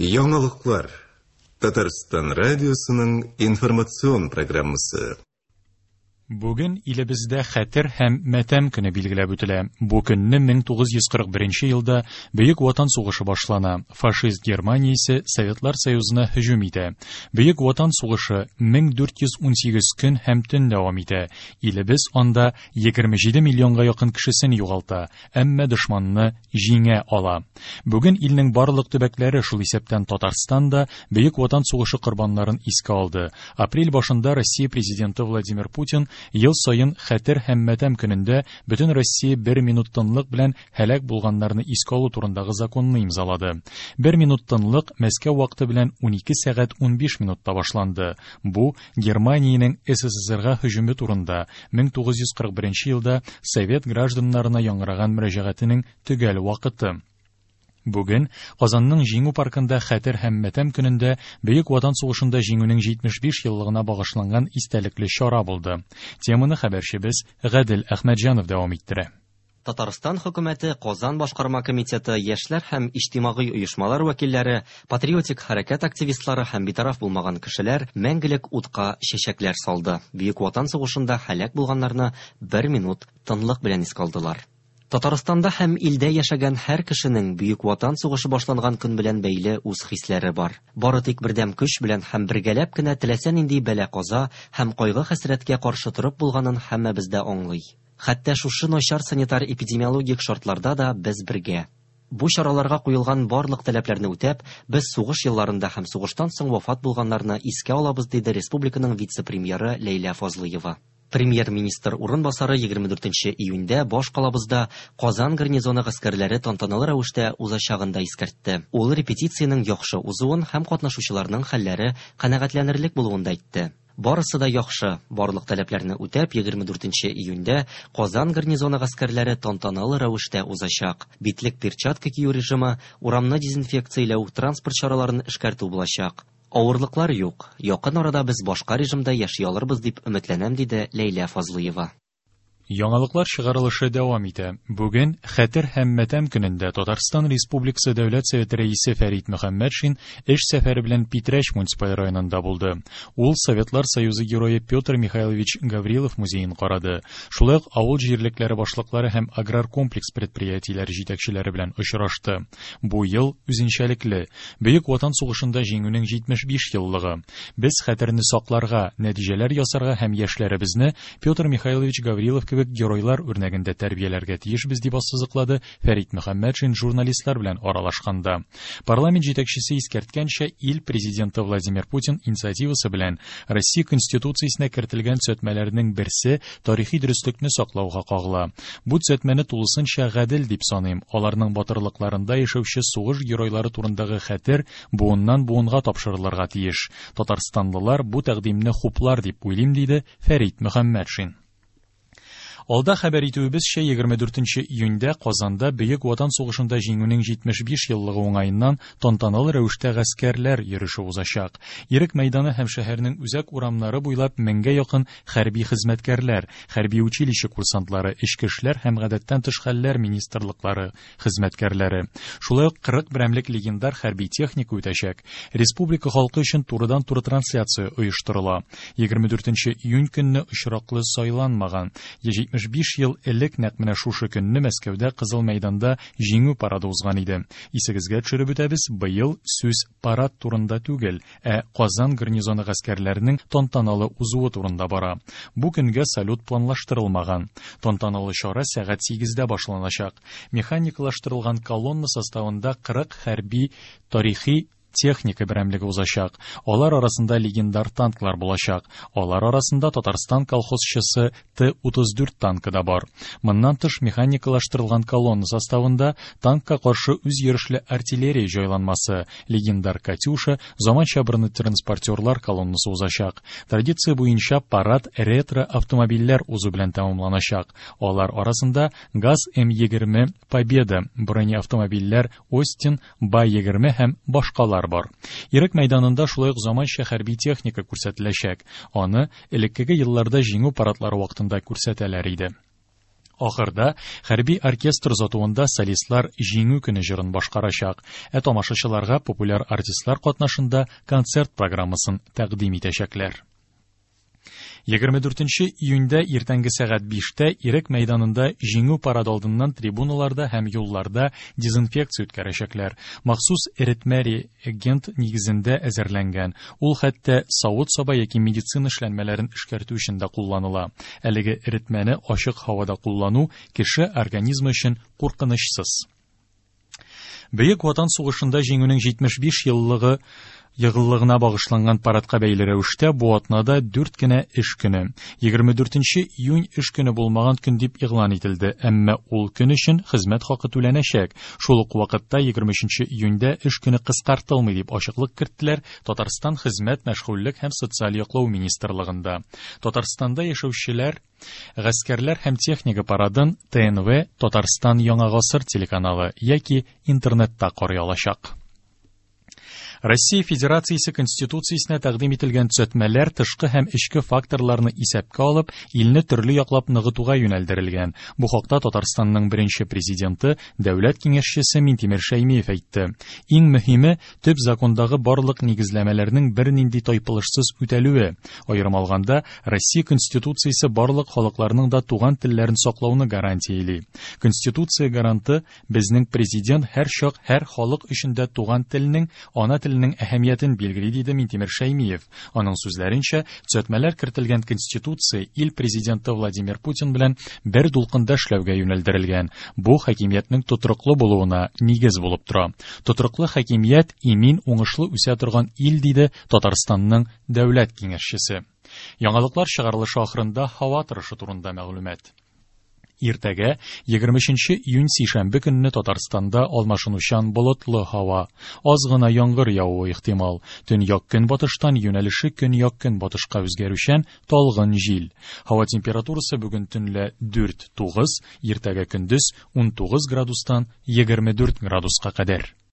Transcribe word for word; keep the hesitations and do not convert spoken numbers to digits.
Яңалыклар. Татарстан радиосының информацион программасы. Бүген илебездә Хәтер һәм матәм көне билгеләп үтелә. Бу көнне мең тугыз йөз кырык беренче елда Бөек Ватан сугышы башлана. Фашист Германиясе Советлар Союзына һөҗүм итә. Бөек Ватан сугышы мең дүрт йөз унсигез көн һәм төн дәвам итә. Илебез анда егерме җиде миллионга якын кешесен югалта, әмма дошманны җиңә ала. Бүген илнең барлык төбәкләре, шул исәптән Татарстан да, Бөек Ватан сугышы корбаннарын искә алды. Апрель башында Россия президенты Владимир Путин ел саен Хәтер һәм матәм көнендә бөтен Россия бер минут тынлык белән һәлак булганнарны искә алу турындагы законны имзалады. Бер минут тынлык Мәскәү вакыты белән унике сәгать унбиш минутта башланды. Бу Германиянең СССРга һөҗүме турында мең тугыз йөз кырык беренче елда совет гражданнарына яңгыраган мөрәҗәгатенең төгәл вакыты. Бүген Казанның Җиңү паркында Хәтер һәм матәм көнендә Бөек Ватан сугышында җиңүнең җитмеш биш еллыгына багышланган истәлекле чара булды. Теманы хәбәрчебез Гадел Әхмәтҗанов дәвам иттерә. Татарстан хөкүмәте, Казан башкарма комитеты, яшьләр һәм иҗтимагый оешмалар вәкилләре, патриотик хәрәкәт активистлары һәм битараф булмаган кешеләр мәңгелек утка чәчәкләр салды. Бөек Ватан сугышында һәлак булганнарны бер минут тынлык белән искә алдылар. Татарстанда һәм илдә яшәгән һәр кешенең Бөек Ватан сугышы башланган көн белән бәйле үз хисләре бар. Бары тик бердәм көч белән һәм бергәләп кенә теләсә нинди бәла-каза һәм кайгы-хәсрәткә каршы торып булганын һәммәбез дә аңлый. Хәтта шушы начар санитар эпидемиологик шартларда да без бергә. Бу чараларга куелган барлык таләпләрне үтәп, без сугыш елларында һәм сугыштан соң вафат булганнарны искә алабыз, диде республиканың вице-премьеры Ләйлә Фазлыева. Премьер-министр урынбасары егерме дүртенче июньдә баш калабызда Казан гарнизоны гаскәрләре тантаналы рәвештә узачагын да искәртте. Ул репетициянең яхшы узуын һәм катнашучыларның хәлләре канәгатьләнерлек булуын да әйтте. Барысы да яхшы, барлык таләпләрне үтәп, егерме дүртенче июньдә Казан гарнизоны гаскәрләре тантаналы рәвештә узачак. Битлек перчатка кию режимы, урамны дезинфекцияләү, транспорт чараларын эшкәртү булачак. Авырлыклар юк. Якын арада без башка режимда яши алырбыз дип өметләнәм, диде Ләйлә Фазлыева. Яңалыклар чыгарылышы дәвам итә. Бүген Хәтер һәм матәм көнендә Татарстан Республикасы Дәүләт Советы рәисе Фәрит Мөхәммәтшин эш сәфәре белән Питрәч муниципаль районында булды. Ул Советлар Союзы герое Петр Михайлович Гаврилов музеен карады. Шулай ук авыл җирлекләре башлыклары һәм аграр комплекс предприятиеләре җитәкчеләре белән очрашты. Бу ел үзенчәлекле. Бөек Ватан сугышында җиңүнең җитмеш биш еллыгы. Без хәтерне сакларга, нәтиҗәләр ясарга һәм яшьләребезне Петр Михайлович Гаврилов кебек геройлар үрнәгендә тәрбияләргә тиешбез, дип ассызыклады Фәрит Мөхәммәтшин журналистлар белән аралашканда. Парламент җитәкчесе искәрткәнчә, ил президенты Владимир Путин инициативасы белән Россия Конституциясенә кертелгән төзәтмәләрнең берсе тарихи дөреслекне саклауга кагыла. Бу төзәтмәне тулысынча гадел дип саныйм. Аларның батырлыкларында яшәүче сугыш геройлары турындагы хәтер буыннан буынга тапшырылырга тиеш. Татарстанлылар бу тәкъдимне хуплар дип уйлыйм, диде Фәрит Мөхәммәтшин. Алда хәбәр итүебезчә, егерме дүртенче июньдә Казанда Бөек Ватан сугышында җиңүнең җитмеш биш еллыгы уңаеннан тантаналы рәвештә гаскәрләр йөреше узачак. Ирек мәйданы һәм шәһәрнең үзәк урамнары буйлап меңгә якын хәрби хезмәткәрләр, хәрби училище курсантлары, эчке эшләр һәм гадәттән тыш хәлләр министрлыклары хезмәткәрләре. Шулай ук кырык берәмлек легендар хәрби техника үтәчәк. Республика халкы өчен турыдан-туры трансляция оештырыла. Егерме дүртенче июнь көнне очраклы сайланмаган. Җитмеш биш ел элек нәкъ менә шушы көнне Мәскәүдә Кызыл мәйданда җиңү парады узган иде. Исегезгә төшереп үтәбез, быел сүз парад турында түгел, ә Казан гарнизоны гаскәрләренең тантаналы узуы турында бара. Бу көнгә салют планлаштырылмаган. Тантаналы чара сәгать сигездә башланачак. Механикалаштырылган колонна составында кырык хәрби тарихи техника берәмлеге узачак. Алар арасында легендар танклар булачак. Алар арасында Татарстан колхозчысы Т утыз дүрт танкы да бар. Моннан тыш механикалаштырылган колонна составында танкка каршы үз йөрешле артиллерия җайланмасы, легендар Катюша, заманча бронетранспортерлар колоннасы узачак. Традиция буенча парад ретро автомобильләр узу белән тәмамланачак. Алар арасында ГАЗ М егерме Победа, бронеавтомобильләр Остин, Ба егерме һәм башкалар бар. Ирек мәйданында шулай ук заманча хәрби техника күрсәтеләчәк. Аны элеккеге елларда җиңү парадлары вакытында күрсәтәләр иде. Ахырда хәрби оркестр озатуында солистлар Җиңү көне җырын башкарачак, ә тамашачыларга популяр артистлар катнашында концерт программасын тәкъдим итәчәкләр. Егерме дүртенче июньдә иртәнге сәгать биштә Ирек мәйданында Җиңү парады алдыннан трибуналарда һәм юлларда дезинфекция үткәрәчәкләр. Махсус эретмә реагент нигезендә әзерләнгән. Ул хәтта савыт-саба яки медицина эшләнмәләрен эшкәртү өчен дә кулланыла. Әлеге эретмәне ачык һавада куллану кеше организмы өчен куркынычсыз. Бөек Ватан сугышында җиңүнең җитмеш биш еллыгы йыгыллыгына багышланган парадка бәйле рәвештә бу атнада дүрт кенә эш көне. Егерме дүртенче июнь эш көне булмаган көн дип игълан ителде, әмма ул көн өчен хезмәт хакы түләнәчәк. Шул ук вакытта егерме өченче июньдә эш көне кыскартылмый дип ачыклык керттеләр Татарстан Хезмәт, Мәшгульлек һәм Социаль яклау министрлыгында. Татарстанда яшәүчеләр гаскәрләр һәм техника парадын Т Н В Татарстан Яңа Гасыр телеканалы яки интернетта карый алачак. Россия Федерациясе Конституциясенә тәкъдим ителгән төзәтмәләр тышкы һәм эчке факторларны исәпкә алып, илне төрле яклап ныгытуга юнәлдерелгән. Бу хакта Татарстанның беренче президенты, дәүләт киңәшчесе Минтимер Шәймиев әйтте. Иң мөһиме төп закондагы барлык нигезләмәләрнең бернинди тайпылышсыз үтәлүе. Аерым алганда, Россия Конституциясе барлык халыкларның да туган телләрен саклауны гарантияли. Конституция гаранты безнең президент һәр чак һәр халык өчен дә туган телнең, ана теленең әһәмиятен билгели, диде Минтимер Шәймиев. Аның сүзләренчә, төзәтмәләр кертелгән Конституция ил президенты Владимир Путин белән бер дулкында эшләүгә юнәлдерелгән. Бу хакимиятнең тотрыклы булуына нигез булып тора. Тотрыклы хакимият имин, уңышлы үсә торган ил, диде Татарстанның дәүләт киңәшчесе. Яңалыклар чыгарылышы ахырында һава торышы турында мәгълүмат. Иртәгә егерме өченче июнь сишәмбе көнне Татарстанда алмашынучан болытлы һава, аз гына яңгыр явуы ихтимал. Төньяк көнбатыштан юнәлеше көньяк көнбатышка үзгәрүчән талгын җил. Һава температурасы бүген төнлә дүрт тугыз, иртәгә көндез унтугыз градустан егерме дүрт градуска кадәр.